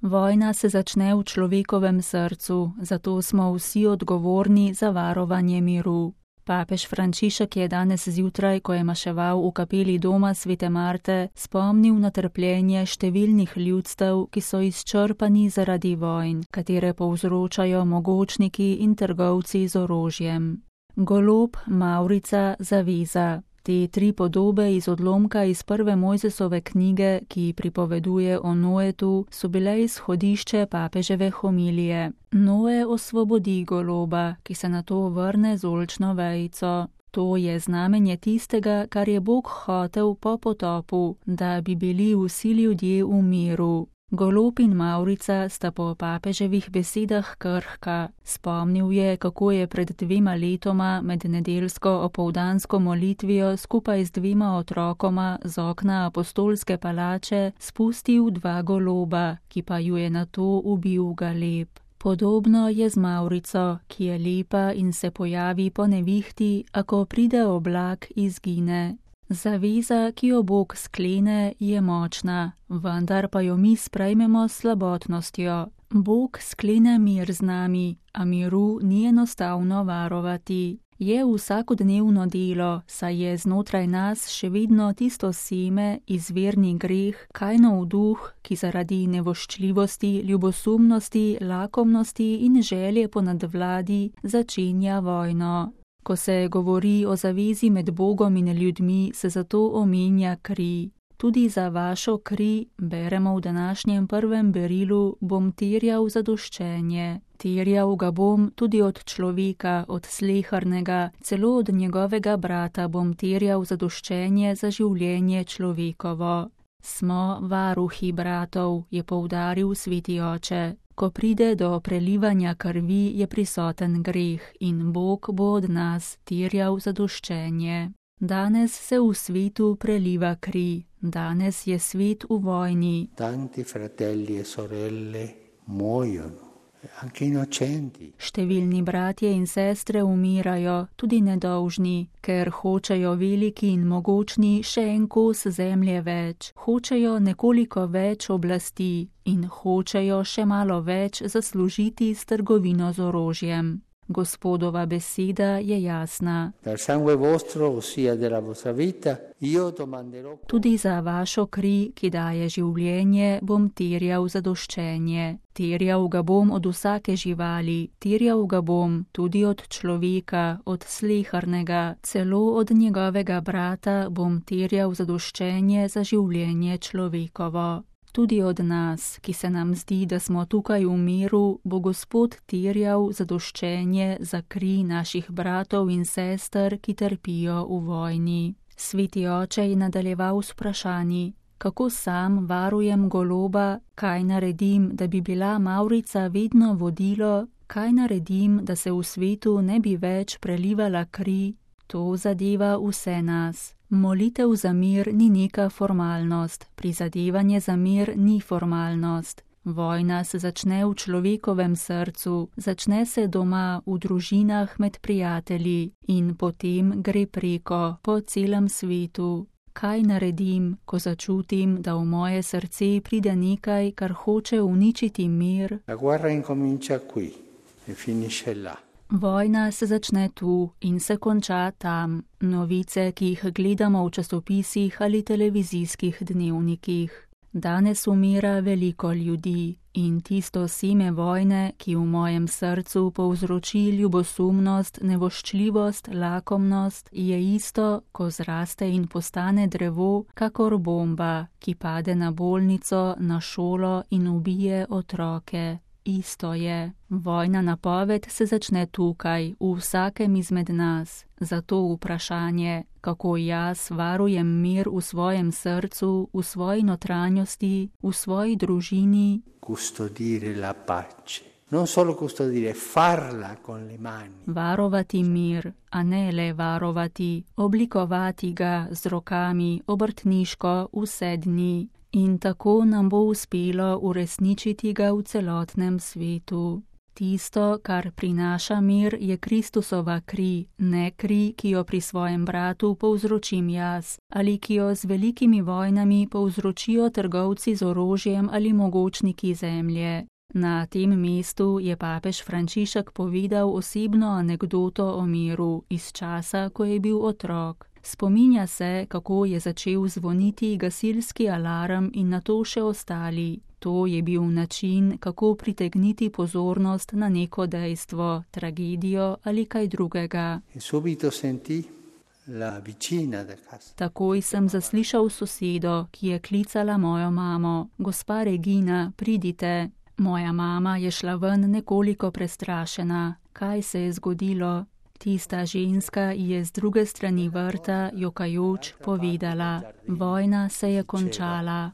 Vojna se začne v človekovem srcu, zato smo vsi odgovorni za varovanje miru. Papež Frančišek je danes zjutraj, ko je maševal v kapeli doma Svete Marte, spomnil na trpljenje številnih ljudstev, ki so izčrpani zaradi vojn, katere povzročajo mogočniki in trgovci z orožjem. Golob, mavrica, zaveza. Te tri podobe iz odlomka iz prve Mojzesove knjige, ki pripoveduje o Noetu, so bile izhodišče papeževe homilije. Noe osvobodi goloba, ki se nato vrne z oljčno vejico. To je znamenje tistega, kar je Bog hotel po potopu, da bi bili vsi ljudje v miru. Golob in mavrica sta po papeževih besedah krhka. Spomnil je, kako je pred 2 letoma med nedeljsko opoldansko molitvijo skupaj z 2 otrokoma z okna apostolske palače spustil 2 goloba, ki pa ju je nato ubil galeb. Podobno je z mavrico, ki je lepa in se pojavi po nevihti, a ko pride oblak, izgine. Zaveza, ki jo Bog sklene, je močna, vendar pa jo mi sprejmemo s slabotnostjo. Bog sklene mir z nami, a miru ni enostavno varovati. Je vsakodnevno delo, saj je znotraj nas še vedno tisto seme, izvirni greh, Kainov duh, ki zaradi nevoščljivosti, ljubosumnosti, lakomnosti in želje po nadvladi začenja vojno. Ko se govori o zavezi med Bogom in ljudmi, se zato omenja kri. Tudi za vašo kri, beremo v današnjem prvem berilu, bom terjal zadoščenje. Terjal ga bom tudi od človeka, od sleharnega, celo od njegovega brata bom terjal zadoščenje za življenje človekovo. Smo varuhi bratov, je poudaril sveti oče. Ko pride do prelivanja krvi, je prisoten greh in Bog bo od nas terjal zadoščenje. Danes se v svetu preliva kri, danes je svet v vojni. Tanti fratelli e sorelle muoiono, anche innocenti. Številni bratje in sestre umirajo, tudi nedolžni, ker hočejo veliki in mogočni še en kos zemlje več, hočejo nekoliko več oblasti in hočejo še malo več zaslužiti s trgovino z orožjem. Gospodova beseda je jasna. Tudi za vašo kri, ki daje življenje, bom terjal zadoščenje. Terjal ga bom od vsake živali, terjal ga bom tudi od človeka, od sleharnega, celo od njegovega brata bom terjal zadoščenje za življenje človekovo. Tudi od nas, ki se nam zdi, da smo tukaj v miru, bo Gospod terjal zadoščenje za kri naših bratov in sester, ki trpijo v vojni. Sveti oče je nadaljeval s vprašanji, kako sam varujem goloba, kaj naredim, da bi bila mavrica vedno vodilo, kaj naredim, da se v svetu ne bi več prelivala kri. To zadeva vse nas. Molitev za mir ni neka formalnost, prizadevanje za mir ni formalnost. Vojna se začne v človekovem srcu, začne se doma, v družinah, med prijatelji in potem gre preko, po celem svetu. Kaj naredim, ko začutim, da v moje srce pride nekaj, kar hoče uničiti mir? La guerra incomincia qui e finisce là. Vojna se začne tu in se konča tam. Novice, ki jih gledamo v časopisih ali televizijskih dnevnikih. Danes umira veliko ljudi in tisto seme vojne, ki v mojem srcu povzroči ljubosumnost, nevoščljivost, lakomnost, je isto, ko zraste in postane drevo, kakor bomba, ki pade na bolnico, na šolo in ubije otroke. Isto je. Vojna napoved se začne tukaj, v vsakem izmed nas. Zato vprašanje, kako jaz varujem mir v svojem srcu, v svoji notranjosti, v svoji družini. Custodire la pace. Non solo custodire, farla con le mani. Varovati mir, a ne le varovati, oblikovati ga z rokami, obrtniško vse dni. In tako nam bo uspelo uresničiti ga v celotnem svetu. Tisto, kar prinaša mir, je Kristusova kri, ne kri, ki jo pri svojem bratu povzročim jaz, ali ki jo z velikimi vojnami povzročijo trgovci z orožjem ali mogočniki zemlje. Na tem mestu je papež Frančišek povedal osebno anekdoto o miru iz časa, ko je bil otrok. Spominja se, kako je začel zvoniti gasilski alarm in nato še ostali. To je bil način, kako pritegniti pozornost na neko dejstvo, tragedijo ali kaj drugega. Takoj sem zaslišal sosedo, ki je klicala mojo mamo. Gospa Regina, pridite. Moja mama je šla ven nekoliko prestrašena. Kaj se je zgodilo? Tista ženska je z druge strani vrta, jokajoč, povedala: vojna se je končala.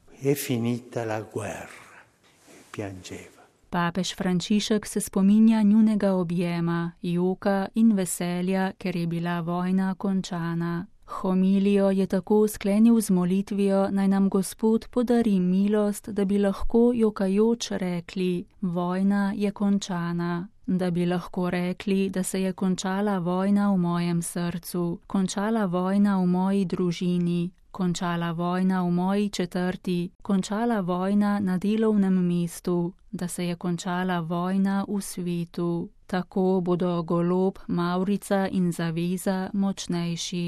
Papež Frančišek se spominja njunega objema, joka in veselja, ker je bila vojna končana. Homilijo je tako sklenil z molitvijo, naj nam Gospod podari milost, da bi lahko jokajoč rekli: vojna je končana. Da bi lahko rekli, da se je končala vojna v mojem srcu, končala vojna v moji družini, končala vojna v moji četrti, končala vojna na delovnem mestu, da se je končala vojna v svetu. Tako bodo golob, mavrica in zaveza močnejši.